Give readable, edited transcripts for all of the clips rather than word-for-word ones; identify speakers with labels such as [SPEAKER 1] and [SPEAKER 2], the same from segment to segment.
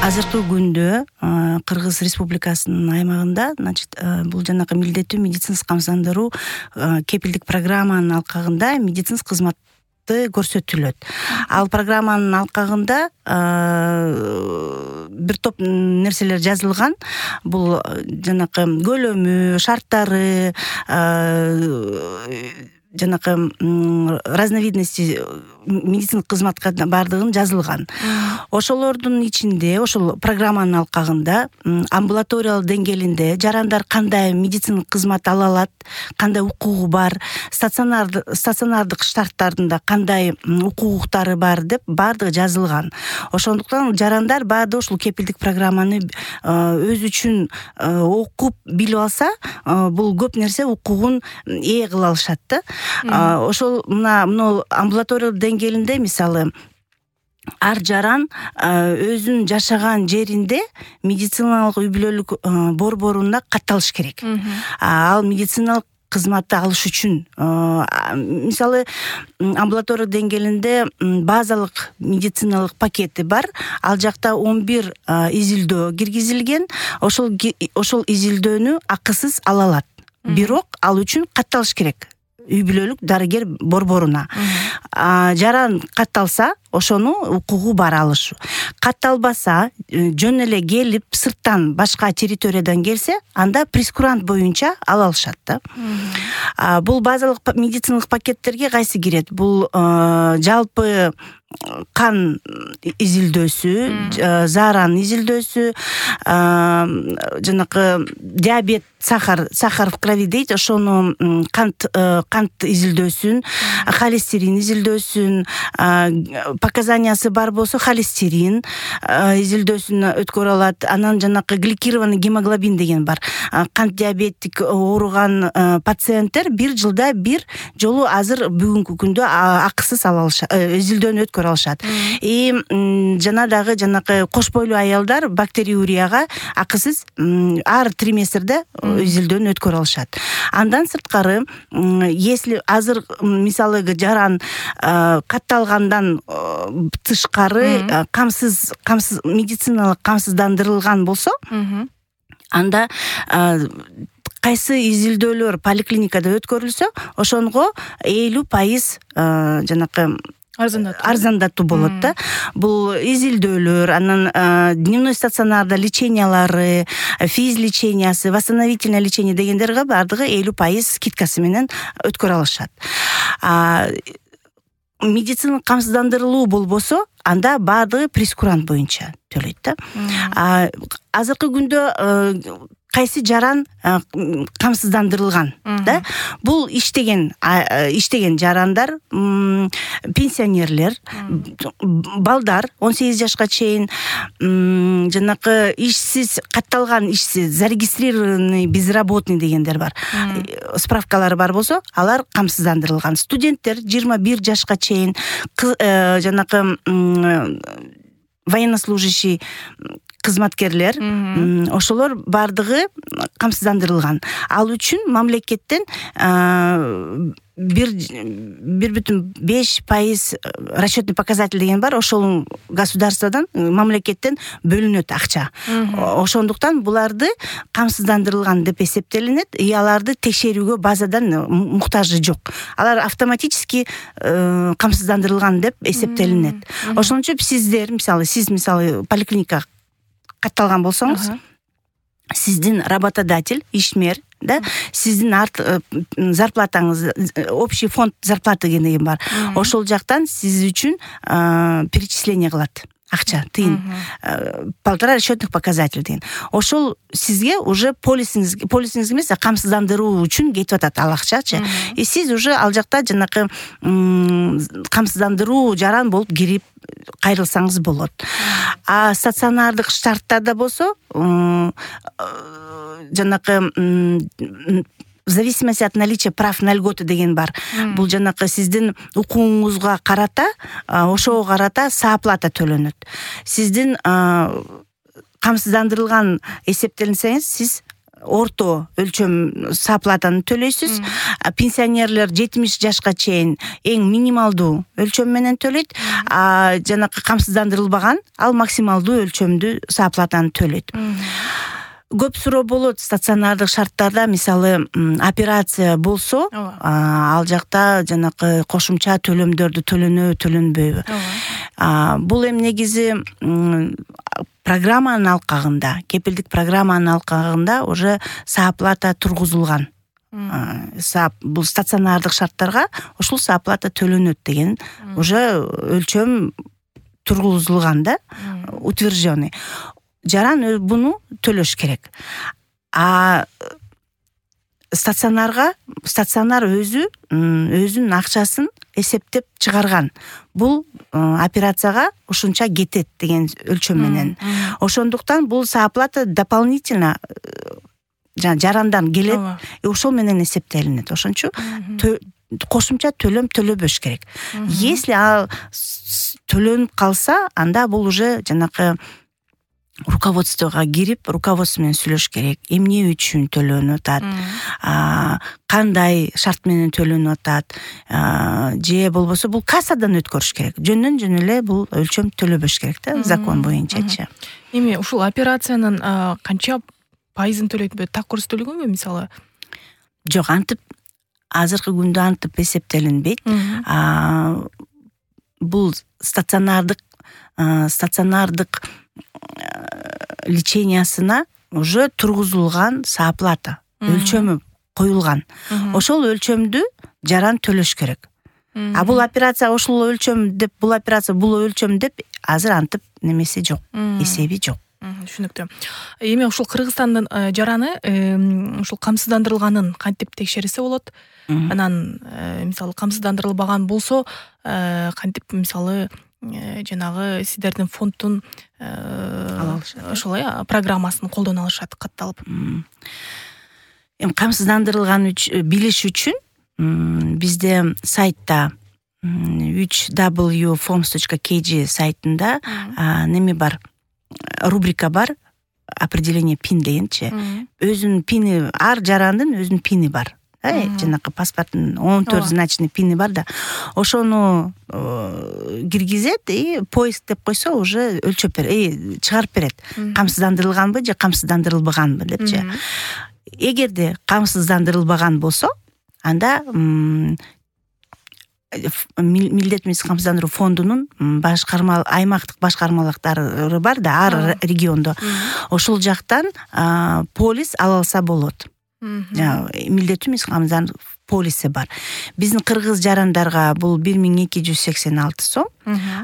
[SPEAKER 1] Азыркы күндө Кыргыз Республикасынын аймагында, бул жанагы милдеттүү медициналык камсыздандыруу кепилдик программанын алкагында медициналык кызматты көрсөтүлөт. Ал программанын алкагында бир топ нерселер жазылган. Бул жанагы көлөмү, шарттары, жанагы разновидности медициналык кызматка бардыгын жазылган. Ошолордун ичинде, ошол программанын алкагында амбулаториялык деңгээлинде жарандар кандай медициналык кызмат ала алат, кандай укугу бар, стационардык штаттарында кандай укуктары бар деп бардыгы жазылган. Ошондуктан жарандар баардыгы ушул кепилдик программаны өзү үчүн окуп билип алса, бул көп нерсе укугун ээ кыла алышат да. Ошол мына амбулаториялык деңгээлинде мисалы ар жаран өзүнүн жашаган жеринде медициналык үй-бүлөлүк борборуна катталыш керек. Ал медициналык кызматты алыш үчүн мисалы амбулатория деңгээлинде базалык медициналык пакети бар. Ал жакта 11 изилдөө киргизилген. Ошол изилдөөнү акысыз ала алат. Бирок ал үчүн катталыш керек үй-бүлөлүк дарыгер борборуна. Жаран катталса, ошону укугу бар алышы. Катталбаса, жөн эле келип сырттан башка территориядан келсе, анда прескурант боюнча ала алышат да. Бул базалык медициналык пакеттерге кайсы кирет? Бул жалпы кан изилдөөсү, зааран изилдөөсү, жанагы диабет, сахар в крови дейт, ошону кант изилдөөсүн, холестерин изилдөөсүн, показаниясы бар болсо холестерин изилдөөсүн өткөрө алат. Анан жанагы гликированный гемоглобин деген бар. Кант диабетик ооруган пациенттер бир жылда бир жолу азыр бүгүнкү күндө акысыз ала алышат, изилдөөнү өткөрө алышат. Жанагы кош бойлуу аялдар бактериурияга акысыз ар триместрде изилдөөнү өткөрө алышат. Андан сырткары, если азыр мисалы жаран катталгандан тышкары камсыз медициналык камсыздандырылган болсо, анда кайсы изилдөөлөр поликлиникада өткөрүлсө, ошонго 50% жанагы арзандатуу болот да. Бул изилдөөлөр, анан дневной стационарда лечениялары, физлечениясы, восстановительное лечение дегендерге бардыгы 50% скидкасы менен өткөрө алышат. Медициналык камсыздандырылуу болбосо, анда бардыгы прескурант боюнча төлөйт да. Азыркы күндө кайсы жаран камсыздандырылган да? Бул иштеген жарандар, пенсионерлер, балдар 18 жашка чейин, жанагы ишсиз, катталган ишсиз, зарегистрированный безработный дегендер бар. Справкалары бар болсо, алар камсыздандырылган. Студенттер 21 жашка чейин, жанагы военнослужащий кызматкерлер, ошолор бардыгы камсыздандырылган. Ал үчүн мамлекеттен 1,5% расчетный показатель деген бар. Ошол государстводан, мамлекеттен бөлүнөт акча. Ошондуктан буларды камсыздандырылган деп эсептелинет. Аларды текшерүүгө базадан муктажы жок. Алар автоматически камсыздандырылган деп эсептелинет. Ошон үчүн сиз поликлиника катталган болсоңуз, сиздин работодатель, ишмер, да, сиздин зарплатаңыз, общий фонд зарплаты деген бар. Ошол жактан сиз үчүн перечисление кылат. Акча, тыйын, 1,5 расчетных показатель деген. Ошол сизге уже полисиңиз эмес, камсыздандыруу үчүн кетип атат ал акчачы. Сиз уже ал жакта жанакы камсыздандыруу жаран болуп кирип кайрылсаңыз болот. Стационардык штаттарда болсо, жанакы в зависимости от наличия прав на льготы деген бар. Бул жанакы сиздин укугуңузга карата, ошого карата сооплата төлөнөт. Сиздин камсыздандырылган эсептелинсеңиз, сиз орто өлчөм сааплатаны төлөйсүз. Пенсионерлер 70 жашка чейин эң минималдуу өлчөм менен төлөйт. Жанакы камсыздандырылбаган ал максималдуу өлчөмдүү сааплатаны төлөйт. Көп суроо болот стационардык шарттарда, мисалы операция болсо, ал жакта жанакы кошумча төлөмдөрдү төлөнөбү. Бул эми негизи программанын алкагында, кепилдик программанын алкагында уже сааплата тургузулган. Бул стационардык шарттарга ушул сааплата төлөнөт деген уже өлчөм тургузулган да, утвержденный. Жаран буну төлөш керек. Стационар өзүнүн акчасын эсептеп чыгарган. Бул операцияга ушунча кетет деген өлчөм менен. Ошондуктан бул сааплата дополнительно жарандан келет, ошол менен эсептелинет. Ошончо кошумча төлөм төлөбөш керек. Если ал төлөнүп калса, анда бул уже жанакы руководствого кирип, руководство менен сүйлөш керек. Эмне үчүн төлөнүп атат? Кандай шарт менен төлөнүп атат? Же болбосо бул кассадан өткөрүш керек. Жөндөн эле бул өлчөм төлөбөш керек да, закон боюнчачы.
[SPEAKER 2] Эми ушул операциянын канча пайызын төлөйт? Так көрсөтүлгөнбү мисалы?
[SPEAKER 1] Жок, антип азыркы күндө антип эсептелинбейт. Бул стационардык лечениясына уже тургузулган сааплата, өлчөмү коюлган. Ошол өлчөмдү жаран төлөш керек. Бул операция ушул өлчөм деп, бул операция бул өлчөм деп азыр антип немеси жок, эсеби жок.
[SPEAKER 2] Түшүнүктүү. Эми ушул Кыргызстандын жараны ушул камсыздандырылганын кантип текшерсе болот? Анан мисалы камсыздандырылбаган болсо, кантип мисалы жанагы сиздердин фонддун ошолой программасын колдоно алышат катталып?
[SPEAKER 1] Эми камсыздандырылган билиш үчүн бизде сайтта www.forms.kg сайтында неме бар, рубрика бар, определение пин дегенчи. Өзүнүн пини, ар жарандын өзүнүн пини бар. Жанакы паспорттун 14 значный пини бар да. Ошону киргизет и поиск деп койсо уже өлчөп берет, чыгарып берет. Камсыздандырылганбы же камсыздандырылбаганбы депчи. Эгерде камсыздандырылбаган болсо, анда милдеттүү медициналык камсыздандыруу фондунун аймактык башкармалыктары бар да, ар региондо. Ошол жактан полис ала алса болот. Милдеттүү медициналык камсыздандыруу полиси бар. Биздин кыргыз жарандарга бул 1286 сом.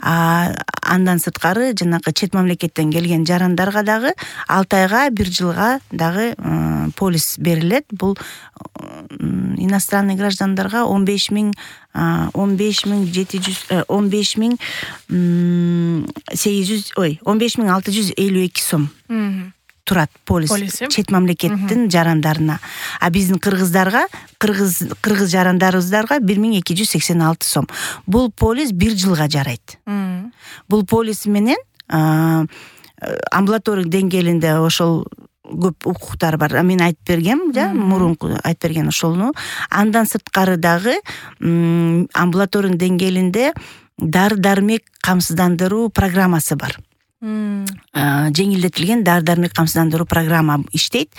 [SPEAKER 1] Андан сырткары жанагы чет мамлекеттен келген жарандарга дагы 6 айга, 1 жылга дагы полис берилет. Бул иностранный граждандарга 15652 сом турат полис чет мамлекеттин жарандарына. Биздин кыргыздарга, кыргыз жарандарыбыздарга 1286 сом. Бул полис 1 жылга жарайт. Бул полис менен амбулаторик деңгээлинде ошол көп укуктар бар. Мен айтып бергем, мурунку айтып берген ошолну. Андан сырткары дагы амбулаторик деңгээлинде дары-дармек камсыздандыруу программасы бар. Жеңилдетилген дары-дармек камсыздандыруу программа иштейт.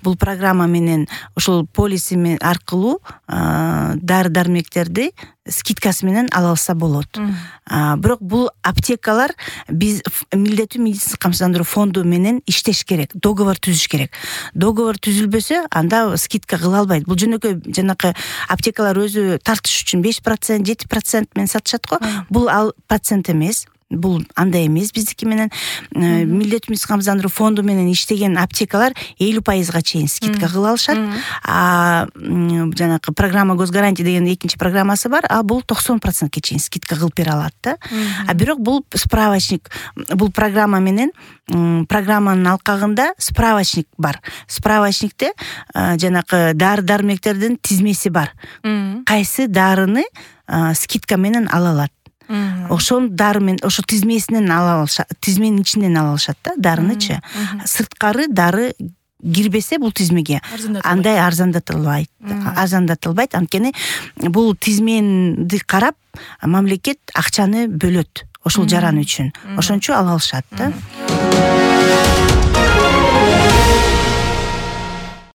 [SPEAKER 1] Бул программа менен ошол полиси аркылуу дары-дармектерди скидкасы менен ала алса болот. Бирок бул аптекалар биз милдеттүү медициналык камсыздандыруу фонду менен иштеш керек, договор түзүш керек. Договор түзүлбөсө, анда скидка кыла албайт. Бул жөнөкөй жанакы аптекалар өзү тартыш үчүн 5%, 7% менен сатышат го. Бул ал процент эмес. Бул андай эмес. Биздики менен милдеттүү медициналык камсыздандыруу фонду менен иштеген аптекалар 50% чейин скидка кыла алышат. Жанакы программа госгарантия деген экинчи программасы бар. Бул 90% чейин скидка кылып бере алат да. Бирок бул справочник, бул программа менен программанын алкагында справочник бар. Справочникте жанакы дары-дармектердин тизмеси бар. Кайсы дарыны скидка менен ала алат. Ошол дары менен, ошо тизмесинен ала алышат, тизменин ичинен ала алышат да, дарынычы. Сырткары дары кирбесе бул тизмеге андай арзандатылбайт. Анткени бул тизменди карап мамлекет акчаны бөлөт ошол жаран үчүн. Ошон үчүн ала алышат да.